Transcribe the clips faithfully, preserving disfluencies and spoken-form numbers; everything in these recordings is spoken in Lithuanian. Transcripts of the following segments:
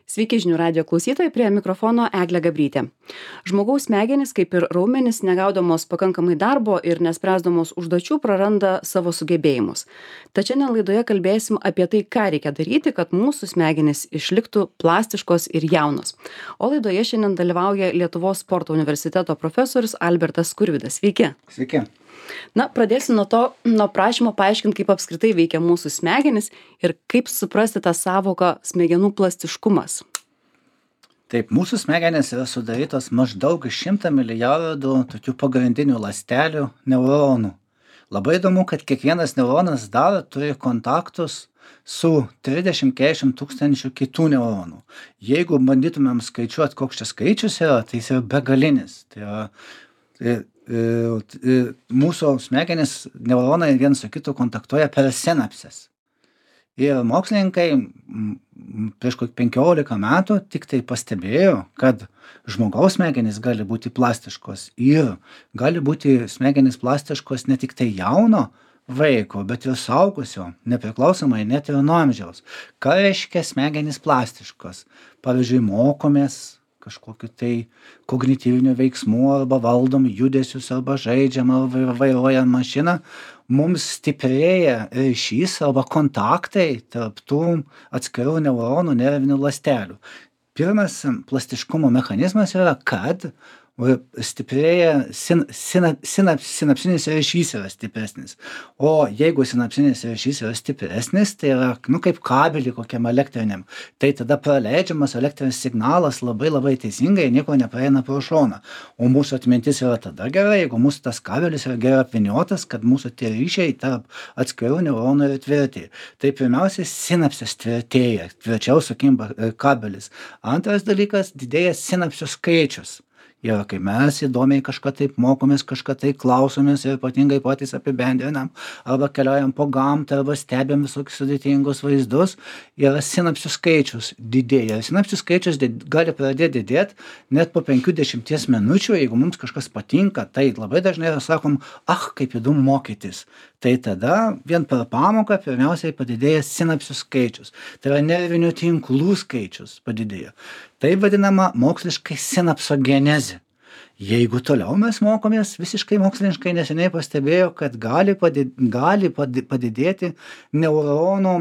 Sveiki žinių radijo klausytojai, prie mikrofono Eglė Gabrytė. Žmogaus smegenys, kaip ir raumenys, negaudamos pakankamai darbo ir nespręsdamos užduočių, praranda savo sugebėjimus. Tačiau šiandien laidoje kalbėsim apie tai, ką reikia daryti, kad mūsų smegenys išliktų plastiškos ir jaunos. O laidoje šiandien dalyvauja Lietuvos sporto universiteto profesorius Albertas Skurvydas. Sveiki. Sveiki. Na, pradėsiu nuo to, nuo prašymo paaiškinti, kaip apskritai veikia mūsų smegenys ir kaip suprasti tą savoką smegenų plastiškumas. Taip, mūsų smegenys yra sudarytos maždaug iš šimto milijardų tokių pagrindinių ląstelių neuronų. Labai įdomu, kad kiekvienas neuronas dar turi kontaktus su trisdešimt keturiasdešimt tūkstančių kitų neuronų. Jeigu bandytumėm skaičiuoti, koks čia skaičius yra, tai jis yra begalinis. Tai yra, tai, mūsų smegenys neuronai vienas su kitu kontaktuoja per sinapses. Ir mokslininkai prieš kokį penkiolika metų tik tai pastebėjo, kad žmogaus smegenys gali būti plastiškos ir gali būti smegenys plastiškos ne tik tai jauno vaiko, bet ir suaugusio, nepriklausomai net ir nuo amžiaus. Ką reiškia smegenys plastiškos? Pavyzdžiui, mokomės kažkokiu tai kognityviniu veiksmu arba valdom judesius arba žaidžiam arba vairuojam mašiną, mums stiprėja ryšys arba kontaktai tarp tų atskirų neuronų nervinių ląstelių. Pirmas plastiškumo mechanizmas yra, kad stiprėja sin, sina, sinap, sinapsinis ryšys yra stipresnis. O jeigu sinapsinis ryšys yra stipresnis, tai yra nu, kaip kabelį kokiam elektriniam, tai tada praleidžiamas elektrinis signalas labai labai teisingai, nieko nepraeina pro šoną. O mūsų atmintis yra tada gerai, jeigu mūsų tas kabelis yra gerai apviniotas, kad mūsų tie ryšiai tarp atskirų neuronų yra tvirti. Tai pirmiausia, sinapsės tvirtėja, tvirčiau sukimba kabelis. Antras dalykas, didėja sinapsių skaičius. Ir kai mes įdomiai kažką taip mokomės, kažką tai klausomės ir ypatingai patys apibendrinam, arba keliaujam po gamtą, arba stebėm visokius sudėtingus vaizdus, yra sinapsių skaičius didėja. Sinapsių skaičius did, gali pradėti didėti net po penkių dešimties minučių, jeigu mums kažkas patinka, tai labai dažnai sakom, ah, kaip įdomu mokytis. Tai tada vien per pamoką pirmiausiai padidėja sinapsių skaičius. Tai yra nervinių tinklų skaičius padidėja. Tai vadinama moksliškai sinapsogenezė. Jeigu toliau mes mokomės, visiškai moksliškai neseniai pastebėjo, kad gali, padid, gali padidėti neuronų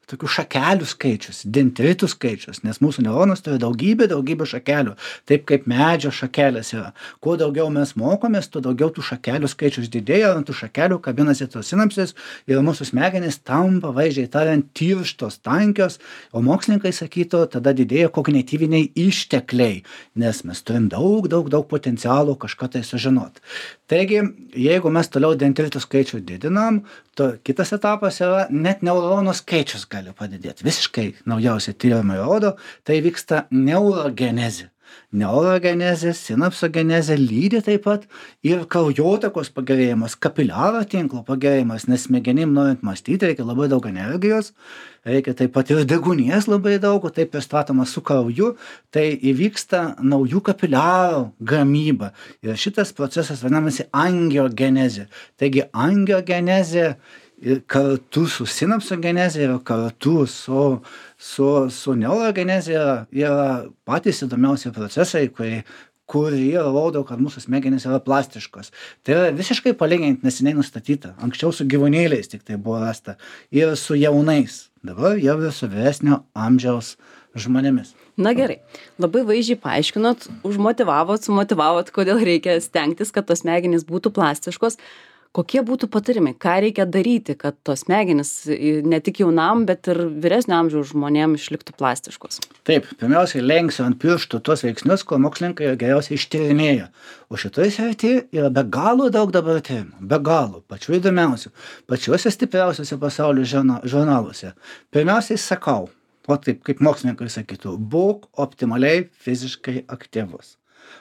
tokių šakelių skaičius, dendritų skaičius, nes mūsų neuronas turi daugybę, daugybę šakelių, taip kaip medžio šakelės yra. Kuo daugiau mes mokomės, tuo daugiau tų šakelių skaičius didėja, ant tų šakelių kabinasi tos sinapsės ir mūsų smegenys tampa, vaizdžiai tariant, tirštos, tankios, o mokslininkai sakytų, tada didėja kognityviniai ištekliai, nes mes turim daug, daug, daug potencialo kažką tai sužinoti. Taigi, jeigu mes toliau dendritų skaičių didinam, to kitas etapas yra net neuronų skaičius gali padidėti. Visiškai naujausi tyrimai rodo, tai vyksta neurogenezė. Neurogenezė, sinapsogenezė lydi taip pat ir kraujotakos pagerėjimas, kapiliaro tinklo pagerėjimas, nes smegenim norint mąstyti reikia labai daug energijos, reikia taip pat ir deguonies labai daug, o taip pristatoma su krauju, tai įvyksta naujų kapiliarų gamyba. Ir šitas procesas vadinamasi angiogenezė. Taigi angiogenezė ir kartu su sinapsogenezė ir kartu su, su, su neurogenezė yra, yra patys įdomiausi procesai, kurie, kurie rodo, kad mūsų smegenys yra plastiškos. Tai yra visiškai palyginti neseniai nustatyta. Anksčiau su gyvūnėliais tik tai buvo rasta ir su jaunais. Dabar jau ir su vyresnio amžiaus žmonėmis. Na gerai, labai vaizdžiai paaiškinot, užmotivavot, sumotivavot, kodėl reikia stengtis, kad tos smegenys būtų plastiškos. Kokie būtų patarimai, ką reikia daryti, kad tos smegenys ne tik jaunam, bet ir vyresnio amžiaus žmonėm išliktų plastiškos? Taip, pirmiausiai lenksiu ant pirštų tuos veiksnius, ko mokslininkai geriausiai ištyrinėja. O šitoje srityje yra be galo daug dabar tyrimų, be galo, pačių įdomiausių, pačiuose stipriausiuose pasaulio žurnaluose. Pirmiausiai sakau, o taip kaip mokslininkai sakytų, būk optimaliai fiziškai aktyvus.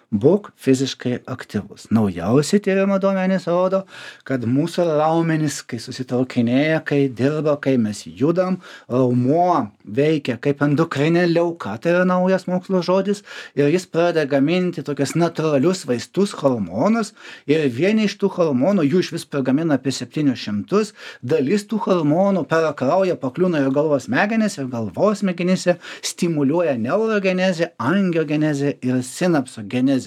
būk fiziškai aktyvus. Naujausi tyrimo duomenys rodo, kad mūsų raumenys, kai susitraukinėja, kai dirba, kai mes judam, raumuo veikia kaip endokrinė liauka, tai yra naujas mokslo žodis, ir jis pradeda gaminti tokias natūralius vaistus, hormonus, ir vieni iš tų hormonų, jų iš vis pagamina apie septynis šimtus, dalis tų hormonų per kraują pakliūna ir galvos smegenis, ir galvos smegenyse stimuliuoja neurogenezę, angiogenezę ir sinapsogenezę.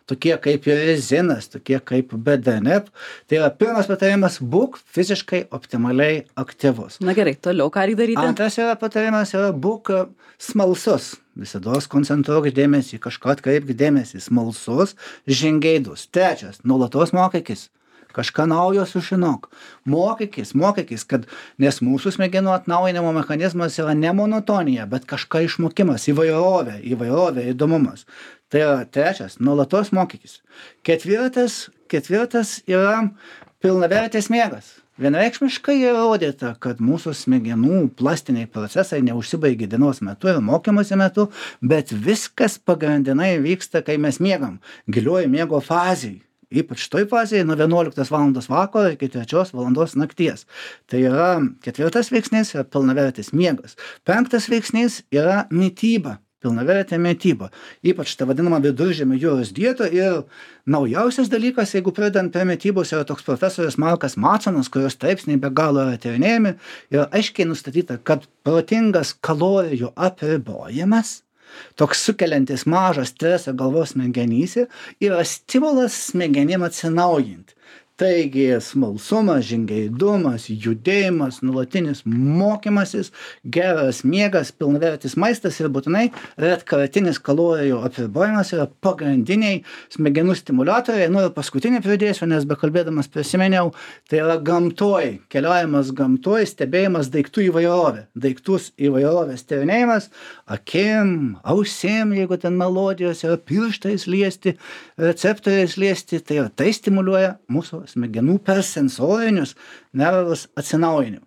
Tokie kaip rezinas, tokie kaip B D N F. Tai yra pirmas patarimas, būk fiziškai optimaliai aktyvus. Na gerai, toliau ką reikia daryti? Antras yra patarimas, yra būk smalsus. Visados koncentruok dėmesį, kažką atkreipk dėmesį, smalsus, žingeidus. Trečias, nuolatos mokykis. Kažką naujo sužinok. Mokykis, mokykis, kad nes mūsų smegenų atnaujinimo mechanizmas yra ne monotonija, bet kažką išmokimas, įvairovė, įvairovė, įdomumas. Tai yra trečias, nuolatos mokykis. Ketvirtas, ketvirtas yra pilnavertis miegas. Vienareikšmiškai įrodyta, kad mūsų smegenų plastiniai procesai neužsibaigia dienos metu ir mokymosi metu, bet viskas pagrindinai vyksta, kai mes miegam, giliuoju miego fazėje. Ypač toj fazėje nuo vienuoliktos valandos vakaro iki trečios valandos nakties. Tai yra ketvirtas veiksnys, yra pilnavertis miegas. Penktas veiksnys yra mityba, pilnavertė mityba. Ypač ta vadinama viduržemio jūros dieta. Ir naujausias dalykas, jeigu pradedant prie mitybos, yra toks profesorius Markas Matsonas, kurios straipsniai be galo yra tyrinėjami, ir aiškiai nustatyta, kad protingas kalorijų apribojimas, toks sukeliantis mažą stresą galvos smegenyse, yra stimulas smegenim atsinaujinti. Taigi smalsumas, žingeidumas, judėjimas, nuolatinis mokymasis, geras miegas, pilnavertis maistas ir būtinai retkartinis kalorijų apribojimas yra pagrindiniai smegenų stimuliatoriai. Nu ir paskutinį pridėsiu, nes bekalbėdamas prisiminiau, tai yra gamtoj, keliavimas gamtoj, stebėjimas daiktų įvairovė. Daiktus įvairovės tyrinėjimas, akim, ausim, jeigu ten melodijos yra, pirštais liesti, receptoriais liesti, tai yra tai stimuliuoja mūsų smegenų per sensorinius nervus atsinaujinimą.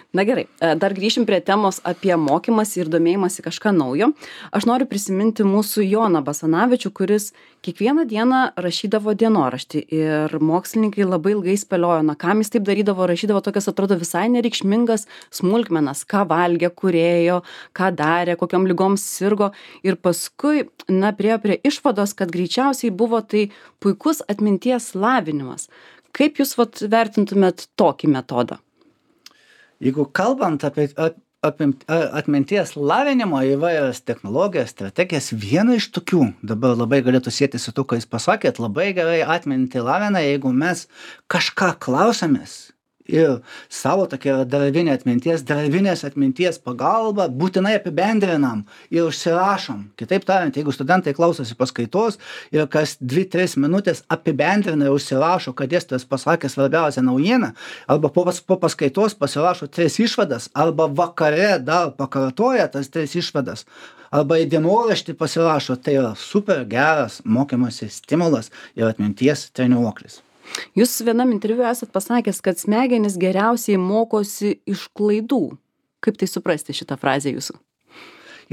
Na gerai, dar grįšim prie temos apie mokymąsi ir domėjimąsi kažką naujo. Aš noriu prisiminti mūsų Joną Basanavičių, kuris kiekvieną dieną rašydavo dienoraštį ir mokslininkai labai ilgai spėliojo, na kam jis taip darydavo, rašydavo tokias atrodo visai nereikšmingas smulkmenas, ką valgė, kur ėjo, ką darė, kokiom ligom sirgo ir paskui, na, priėjo prie išvados, kad greičiausiai buvo tai puikus atminties lavinimas. Kaip jūs vat vertintumėt tokį metodą? Jeigu kalbant apie, apie atminties lavinimo įvairias technologijas, strategijas, viena iš tokių, dabar labai galėtų sieti su to, ką jūs pasakėt, labai gerai atminti lavina, jeigu mes kažką klausamės ir savo tokia darbinė atminties, darbinės atminties pagalba būtinai apibendrinam ir užsirašom. Kitaip tariant, jeigu studentai klausosi paskaitos ir kas dvi tris minutės apibendrina ir užsirašo, kad dėstytojas pasakė svarbiausią naujieną, arba po, po paskaitos pasirašo tris išvadas, arba vakare dar pakartoja tas tris išvadas, arba į dienoraštį pasirašo, tai yra super geras mokymosi stimulas ir atminties treniruoklis. Jūs vienam interviu esat pasakęs, kad smegenys geriausiai mokosi iš klaidų. Kaip tai suprasti šitą frazę jūsų?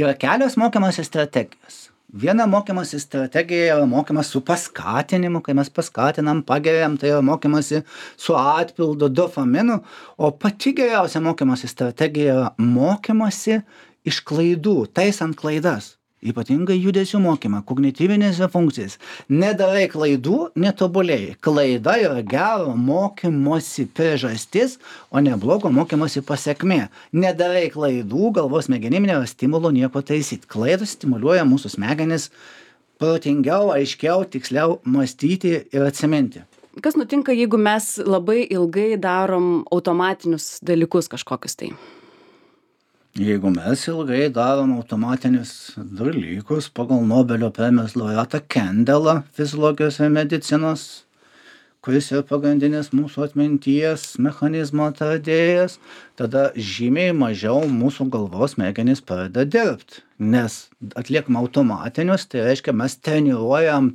Yra kelios mokymosi strategijos. Viena mokymosi strategija yra mokymas su paskatinimu, kai mes paskatinam, pageriam, tai yra mokymasi su atpildu dopaminu, o pati geriausia mokymosi strategija yra mokymasi iš klaidų, taisant klaidas. Ypatingai judesių mokymą, kognityvinėse funkcijas. Nedarai klaidų, netobulėjai. Klaida yra gero mokymosi priežastis, o ne blogo mokymosi pasekmė. Nedarai klaidų, galvos smegenim nėra stimulo nieko taisyti. Klaidos stimuliuoja mūsų smegenis protingiau, aiškiau, tiksliau mąstyti ir atsiminti. Kas nutinka, jeigu mes labai ilgai darom automatinius dalykus kažkokius tai? Jeigu mes ilgai darom automatinius dalykus pagal Nobelio premijos laureatą Kendelą fiziologijos ir medicinos, kuris yra pagrindinis mūsų atminties mechanizmo atradėjas, tada žymiai mažiau mūsų galvos smegenys pradeda dirbti. Nes atliekam automatinius, tai reiškia mes treniruojam,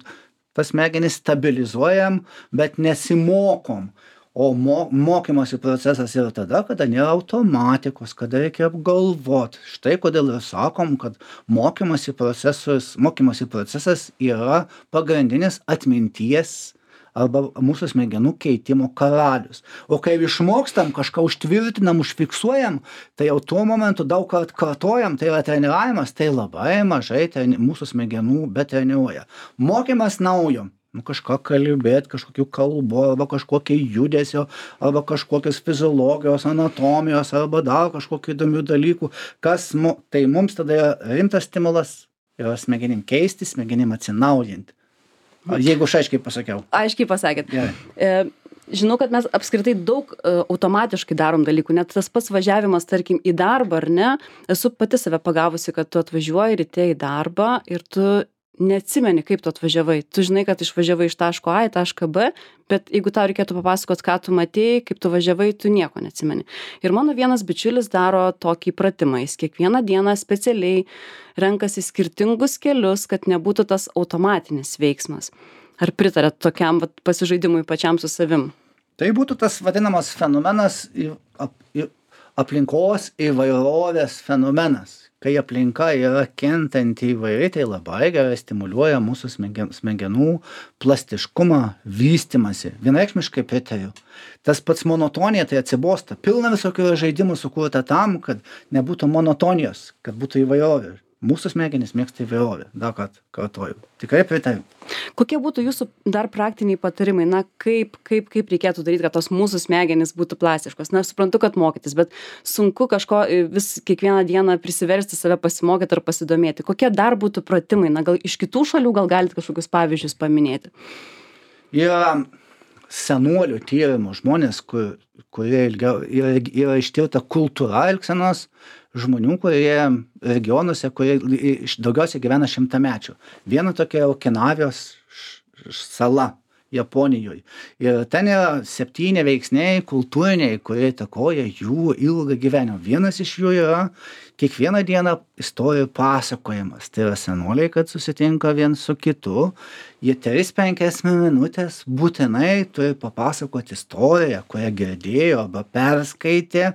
tas smegenis stabilizuojam, bet nesimokom. o mo mokymosi procesas yra tada, kada nėra automatikos, kada reikia apgalvot. Štai kodėl ir sakom, kad mokymosi procesas, mokymosi procesas yra pagrindinis atminties arba mūsų smegenų keitimo karalius. O kai išmokstam, kažką užtvirtinam, užfiksuojam, tai jau tuo momentu daug kart kartojam, tai yra treniravimas, tai labai mažai treni mūsų smegenų betreniruoja. Mokymas naujo. Nu, kažką kalbėt, kažkokių kalbų, arba kažkokio judesio, arba kažkokios fiziologijos, anatomijos, arba dar kažkokių įdomių dalykų, kas mu, tai mums tada yra rimtas stimulas, yra smegenim keisti, smegenim atsinaujinti. Jeigu aš aiškiai pasakiau. Aiškiai pasakėt. Gerai. E, žinau, kad mes apskritai daug e, automatiškai darom dalykų, net tas pats važiavimas, tarkim, į darbą, ar ne, esu pati save pagavusi, kad tu atvažiuoji ryte į darbą ir tu neatsimeni, kaip tu atvažiavai. Tu žinai, kad išvažiavai iš taško A į tašką B, bet jeigu tau reikėtų papasakot, ką tu matėjai, kaip tu važiavai, tu nieko neatsimeni. Ir mano vienas bičiulis daro tokį pratimą. Jis kiekvieną dieną specialiai renkasi skirtingus kelius, kad nebūtų tas automatinis veiksmas. Ar pritarėt tokiam vat, pasižaidimui pačiam su savim? Tai būtų tas vadinamas fenomenas, ap, aplinkos įvairovės fenomenas. Kai aplinka yra kintanti įvairiai, tai labai gerai stimuliuoja mūsų smegenų plastiškumą, vystymąsi. Vienareikšmiškai pritariu. Tas pats monotonija, tai atsibosta. Pilna visokių žaidimų sukurta tam, kad nebūtų monotonijos, kad būtų įvairovė. Mūsų smegenys mėgsta įvairovę. Dar kartą kartoju. Tikrai pritariu. Kokie būtų jūsų dar praktiniai patarimai? Na, kaip, kaip, kaip reikėtų daryti, kad tos mūsų smegenys būtų plastiškos? Na, aš suprantu, kad mokytis, bet sunku kažko vis kiekvieną dieną prisiversti save pasimokyti ar pasidomėti. Kokie dar būtų pratimai? Na, gal iš kitų šalių gal galite kažkokius pavyzdžius paminėti? Yra senuolių tyrimų žmonės, kur, kurie ilgiau, yra, yra ištirta kultūra elgsenos žmonių, kurie regionuose, kurie daugiausiai gyvena šimtamečių. Viena tokia Okinavijos sala Japonijoje. Ir ten yra septyni veiksniai kultūriniai, kurie įtakoja jų ilgą gyvenimą. Vienas iš jų yra kiekvieną dieną istorijų pasakojimas. Tai yra senoliai, kad susitinka vien su kitu. Jie tris penkias minutės būtinai turi papasakoti istoriją, kurią girdėjo arba perskaitė.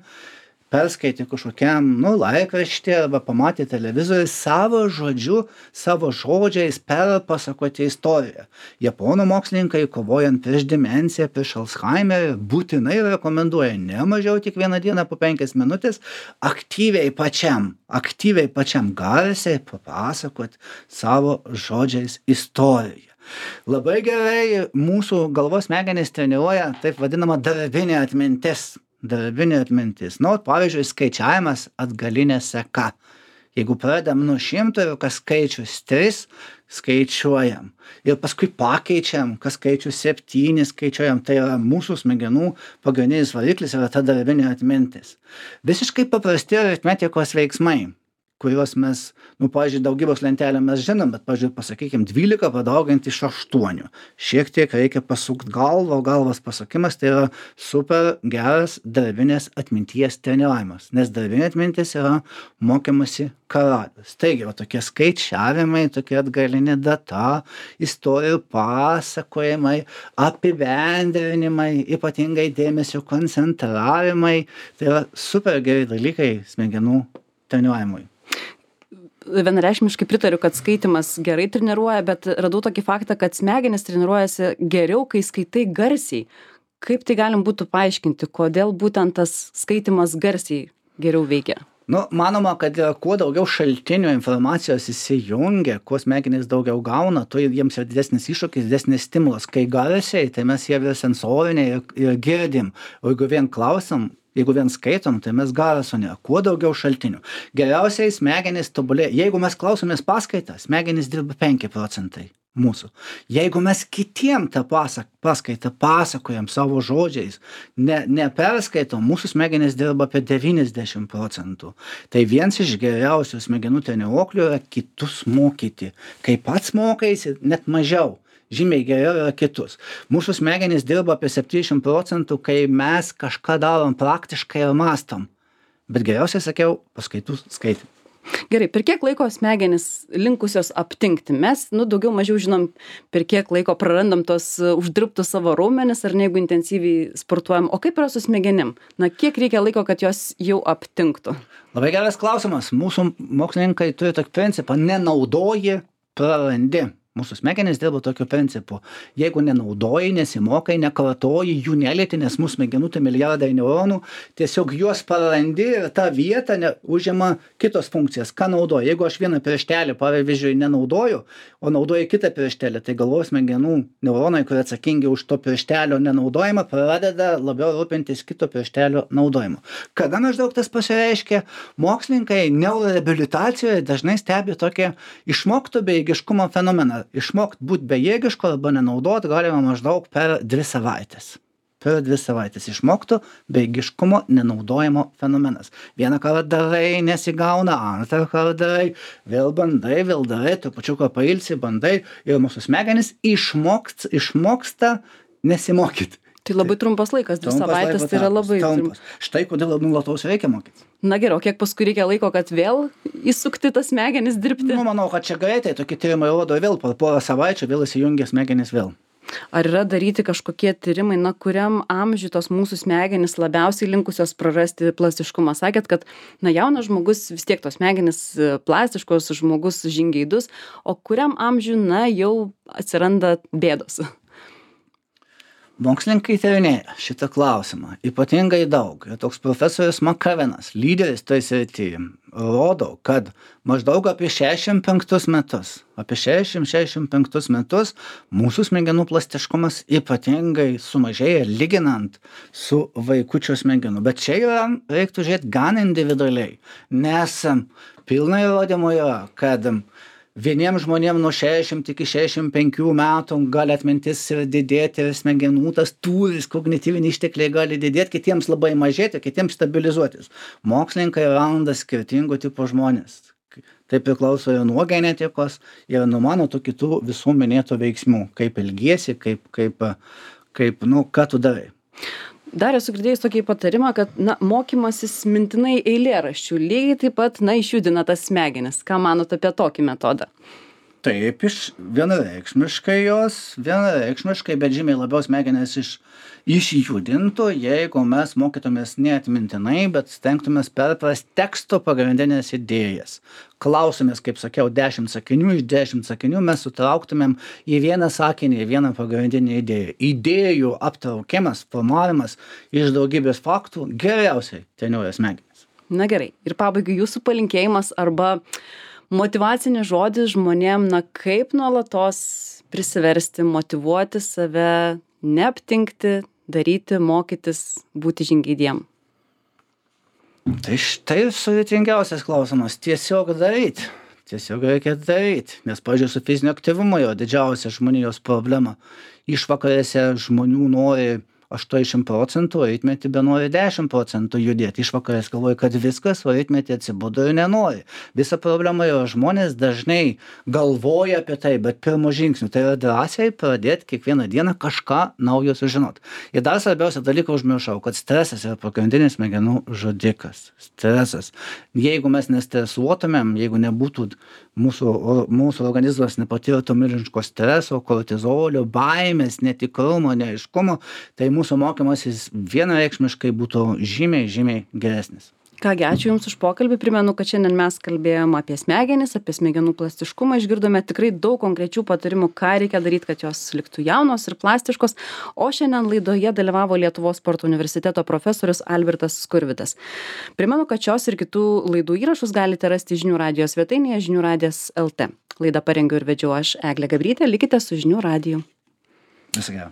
perskaitė kažkokiam, nu, laikraštį arba pamatė televizorių, savo žodžiu, savo žodžiais perpasakoti istoriją. Japonų mokslininkai, kovojant prieš demenciją, prieš Alzheimerį, būtinai rekomenduoja ne mažiau tik vieną dieną po penkias minutės aktyviai pačiam, aktyviai pačiam garsiai papasakoti savo žodžiais istoriją. Labai gerai mūsų galvos smegenys treniruoja taip vadinama darbinė atmintis. Darbinė atmintis. Nu, pavyzdžiui, skaičiavimas atgalinė seka. Jeigu pradedam nuo šimto ir kas skaičius tris, skaičiuojam. Ir paskui pakeičiam, kas skaičius septyni, skaičiuojam. Tai yra mūsų smegenų pagrindinis variklis, yra ta darbinė atmintis. Visiškai paprasti aritmetikos veiksmai, kuriuos mes, nu, pavyzdžiui, daugybos lentelę mes žinom, bet, pavyzdžiui, pasakykim, dvylika padauginti iš aštuonių. Šiek tiek reikia pasukti galvą, o galvos pasukimas tai yra super geras darbinės atminties treniravimas, nes darbinė atmintis yra mokymasi karalius. Taigi, va, tokie skaičiavimai, tokia atgalinė data, istorijų pasakojimai, apibendrinimai, ypatingai dėmesio koncentravimai, tai yra super geri dalykai smegenų treniravimui. Vienareikšmiškai pritariu, kad skaitimas gerai treniruoja, bet radau tokį faktą, kad smegenys treniruojasi geriau, kai skaitai garsiai. Kaip tai galim būtų paaiškinti, kodėl būtent tas skaitimas garsiai geriau veikia? Nu, manoma, kad kuo daugiau šaltinių informacijos įsijungia, kuo smegenys daugiau gauna, tuo jiems yra didesnis iššūkis, didesnis stimulas. Kai garsiai, tai mes jie vis sensoriniai ir, ir girdim. O jeigu vien klausam, jeigu vien skaitom, tai mes garso nėra. Kuo daugiau šaltinių. Geriausiai smegenys tobulėja. Jeigu mes klausomės paskaitą, smegenys dirba penki procentai mūsų. Jeigu mes kitiem tą pasak, paskaitą pasakojam savo žodžiais, ne, neperskaitom, mūsų smegenys dirba apie devyniasdešimt procentų. Tai vienas iš geriausių smegenų treniruoklių yra kitus mokyti. Kai pats mokaisi, net mažiau. Žymiai geriau yra kitus. Mūsų smegenys dirba apie septyniasdešimt procentų, kai mes kažką darom praktiškai ir mąstom. Bet geriausiai sakiau, paskaitų skaitim. Gerai, per kiek laiko smegenys linkusios aptingti? Mes, nu, daugiau mažiau žinom, per kiek laiko prarandam tos uždirbtus savo raumenis, ar ne, jeigu intensyviai sportuojam. O kaip yra su smegenim? Na, kiek reikia laiko, kad jos jau aptingtų? Labai geras klausimas. Mūsų mokslininkai turi tokį principą: nenaudoji, prarandi. Mūsų smegenys dirba tokiu principu. Jeigu nenaudoji, nesimokai, nekartoji, jų nelieti, nes mūsų smegenų tai milijardai neuronų, tiesiog juos prarandi ir tą vietą ne, užima kitos funkcijas. Ką naudoji? Jeigu aš vieną pirštelį, pavyzdžiui, nenaudoju, o naudoju kitą pirštelį, tai galvos smegenų neuronai, kurie atsakingi už to pirštelio nenaudojimą, pradeda labiau rūpintis kito pirštelio naudojimu. Kada maždaug tas pasireiškia? Mokslininkai neuroreabilitacijoje dažnai stebi tokį išmokto bejėgiškumo fenomeną. Išmokt būti bejėgišku arba nenaudot galima maždaug per dvi savaitės. Per dvi savaitės išmokto bejėgiškumo nenaudojimo fenomenas. Vieną kartą darai, nesigauna, antrą kartą darai, vėl bandai, vėl darai, tu pačiuką pailsi, bandai ir mūsų smegenys išmokst, išmoksta nesimokyti. Tai labai trumpas laikas, dvi savaitės, tai yra labai trumpas. Štai kodėl nulatos reikia mokytis. Na gerai, o kiek paskui reikia laiko, kad vėl įsukti tas smegenis dirbti? Nu, manau, kad čia greitai, tokie tyrimai rodo vėl, po porą savaičių vėl įsijungia smegenis vėl. Ar yra daryti kažkokie tyrimai, na, kuriam amžiui tos mūsų smegenys labiausiai linkusios prarasti plastiškumą? Sakėt, kad, na, jaunas žmogus vis tiek tos smegenys plastiškos, žmogus žingeidus, o kuriam amžiui, na, jau atsiranda bėdos? Mokslininkai tyrinėja šitą klausimą ypatingai daug. Ir toks profesorius Makavenas, lyderis toj srityje, rodo, kad maždaug apie šešiasdešimt penktus metus, apie šešiasdešimt šešiasdešimt penktus metus mūsų smegenų plastiškumas ypatingai sumažėja lyginant su vaikučio smegenų. Bet čia yra, reiktų žiūrėti gan individualiai, nes pilna įrodymų yra, kad vieniems žmonėms nuo šešiasdešimt iki šešiasdešimt penkių metų gali atmintis ir didėti, ir smegenų tas tūris, kognityviniai ištekliai gali didėti, kitiems labai mažėti, kitiems stabilizuotis. Mokslininkai randa skirtingų tipų žmonės. Tai priklauso ir nuo genetikos, ir nuo mano tų kitų visų minėtų veiksmų, kaip elgiesi, kaip, kaip, kaip, nu, ką tu darai. Dar esu girdėjus tokį patarimą, kad, na, mokymasis mintinai eilėraščių lygiai taip pat, na, išjudina tas smegenis. Ką manot apie tokį metodą? Taip, iš vienareikšmiškai jos, vienareikšmiškai, bet žymiai labiau smegenis iš, išjudintų, jeigu mes mokytumės ne atmintinai, bet stengtumės perprast teksto pagrindinės idėjas. Klausimės, kaip sakiau, dešimt sakinių, iš dešimt sakinių mes sutrauktumėm į vieną sakinį, į vieną pagrindinę idėją. Idėjų aptraukimas, formavimas iš daugybės faktų geriausiai treniruoja smegenis. Na gerai, ir pabaigai jūsų palinkėjimas arba motyvacinis žodis žmonėm, na, kaip nuolatos prisiversti, motyvuoti save, neaptingti, daryti, mokytis, būti žingeidiem. Tai štai sudėtingiausias klausimas. Tiesiog daryti. Tiesiog reikia daryti. Nes, pavyzdžiui, su fizinio aktyvumo jo didžiausia žmonijos problema. Išvakarėse žmonių nori aštuoniasdešimt procentų, o rytmetį benori dešimt procentų judėti. Išvakarės galvoja, kad viskas, o rytmetį atsibudo ir nenori. Visa problema yra, žmonės dažnai galvoja apie tai, bet pirmo žingsnių tai yra drąsiai pradėti kiekvieną dieną kažką naujo sužinoti. Ir dar svarbiausia dalyką užmiršau, kad stresas yra pagrindinis smegenų žudikas. Stresas. Jeigu mes nestresuotumėm, jeigu nebūtų mūsų, mūsų organizmas nepatirtų milžiniško streso, kortizolio, baimės, netikrumo, neaiškumo, tai mūsų mokymasis vienareikšmiškai būtų žymiai, žymiai geresnis. Kągi, ačiū Jums už pokalbį. Primenu, kad šiandien mes kalbėjom apie smegenis, apie smegenų plastiškumą. Išgirdome tikrai daug konkrečių patarimų, ką reikia daryti, kad jos liktų jaunos ir plastiškos. O šiandien laidoje dalyvavo Lietuvos sporto universiteto profesorius Albertas Skurvydas. Primenu, kad šios ir kitų laidų įrašus galite rasti žinių radijo svetainėje žinių radijas taškas lt. Laidą parengiau ir vedžiau aš, Eglė Gabrytė. Likite su žinių radiju. Viso gero.